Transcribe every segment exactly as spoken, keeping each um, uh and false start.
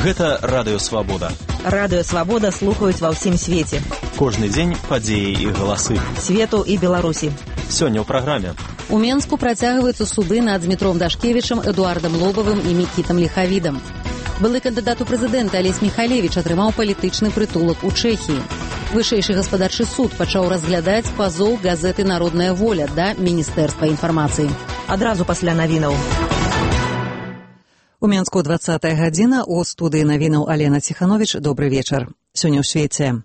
Гэта Радыё Свабода. Радыё Свабода слухаюць ва ўсім свеце. Кожны дзень падзеі і галасы. Свету і Беларусі. Сёння ў праграме. У Менску працягваюцца суды над Дмітром Дашкевічам, Эдуардам Лобавым і Мікітам Ліхавідам. Былы кандыдат у прэзідэнты Алесь Міхалевіч атрымаў палітычны прытулак у Чэхіі. Вышэйшы гаспадарчы суд пачаў разглядаць пазоў газеты «Народная воля» да Міністэрства інфармацыі. Адразу пасля навінаў. У Менску двадцатая гадзіна, у студыі навінаў Алена Ціхановіч. Добры вечар. Сёння ў свеце.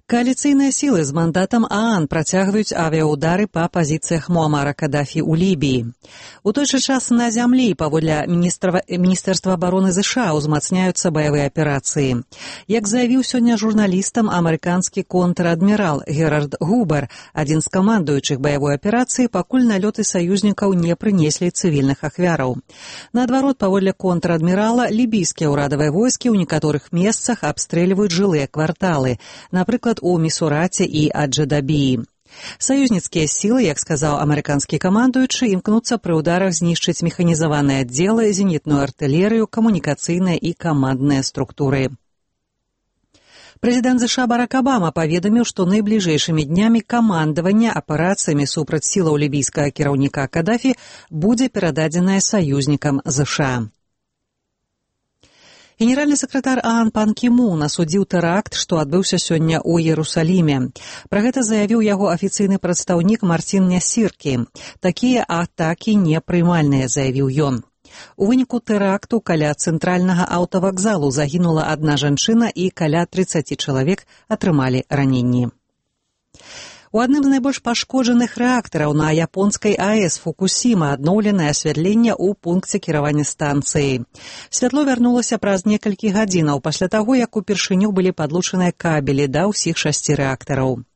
Коаліцыйныя сілы з мандатам ААН працягваюць авіяудары па пазіцыях Муамара Кадафі ў Лібіі. У той жа час на зямлі паводле Міністэрства абароны ЗША узмацняюцца баявыя аперацыі. Як заявіў сёння журналістам амерыканскі контр-адмірал Герард Губер, адзін з камандуючых баявой аперацыі, пакуль налёты саюзнікаў не прынеслі цывільных ахвяраў. Наадварот, паводле контр-адмірала, лібійскія ўрадавыя войскі ў некаторых месцах абстрэльваюць жылыя кварталы, напрыклад, у Місураце і Аджадабіі. Саюзніцкія сілы, як сказаў амерыканскі камандуючы, імкнуцца пры ўдарах знішчыць механізаваныя аддзелы, зенітную артылерыю, камунікацыйныя і камандныя структуры. Прэзідэнт ЗША Барак Абама паведаміў, што найбліжэйшымі днямі камандаванне аперацыямі супраць сілаў лібійскага кіраўніка Кадафі будзе перададзенае саюзнікам ЗША. Генеральны сакратар ААН Пан Кі Мун асудзіў тэракт, што адбыўся сёння ў Іерусаліме. Пра гэта заявіў яго афіцыйны прадстаўнік Мартін Нясіркі. Такія атакі непрымальныя, заявіў ён. У выніку тэракту каля цэнтральнага аўтавакзалу загінула адна жанчына і каля трыццаць чалавек атрымалі раненні. У адным з найбольш пашкоджаных рэактараў на японскай АЭС Фукусіма адноўленае асвятленне ў пункце кіравання станцыі. Святло вярнулася праз некалькі гадзінаў пасля таго, як упершыню былі падлучаныя кабелі да ўсіх шасці рэактараў.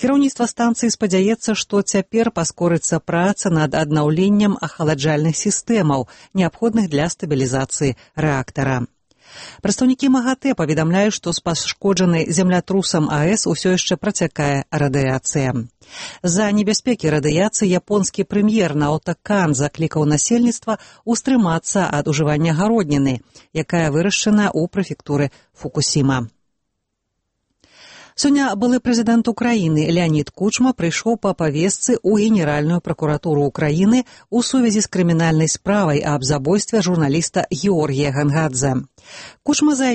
Кіраўніцтва станцыі спадзяецца, што цяпер паскорыцца праца над аднаўленнем ахаладжальных сістэмаў, неабходных для стабілізацыі рэактара. Прадстаўнікі МАГАТЭ паведамляюць, што з пашкоджанай землятрусам АЭС усё яшчэ працякае радыяцыя. З-за небяспекі радыяцыі японскі прэм'ер Наото Кан заклікаў насельніцтва устрымацца ад ужывання гародніны, якая вырашчана ў прэфектуры Фукусіма. Сёння былы прэзідэнт Украіны Леанід Кучма прыйшоў па павестцы ў Генеральную пракуратуру Украіны ў сувязі з крымінальнай справай аб забойстве журналіста Георгія Гангадзе. Кучма заявіў,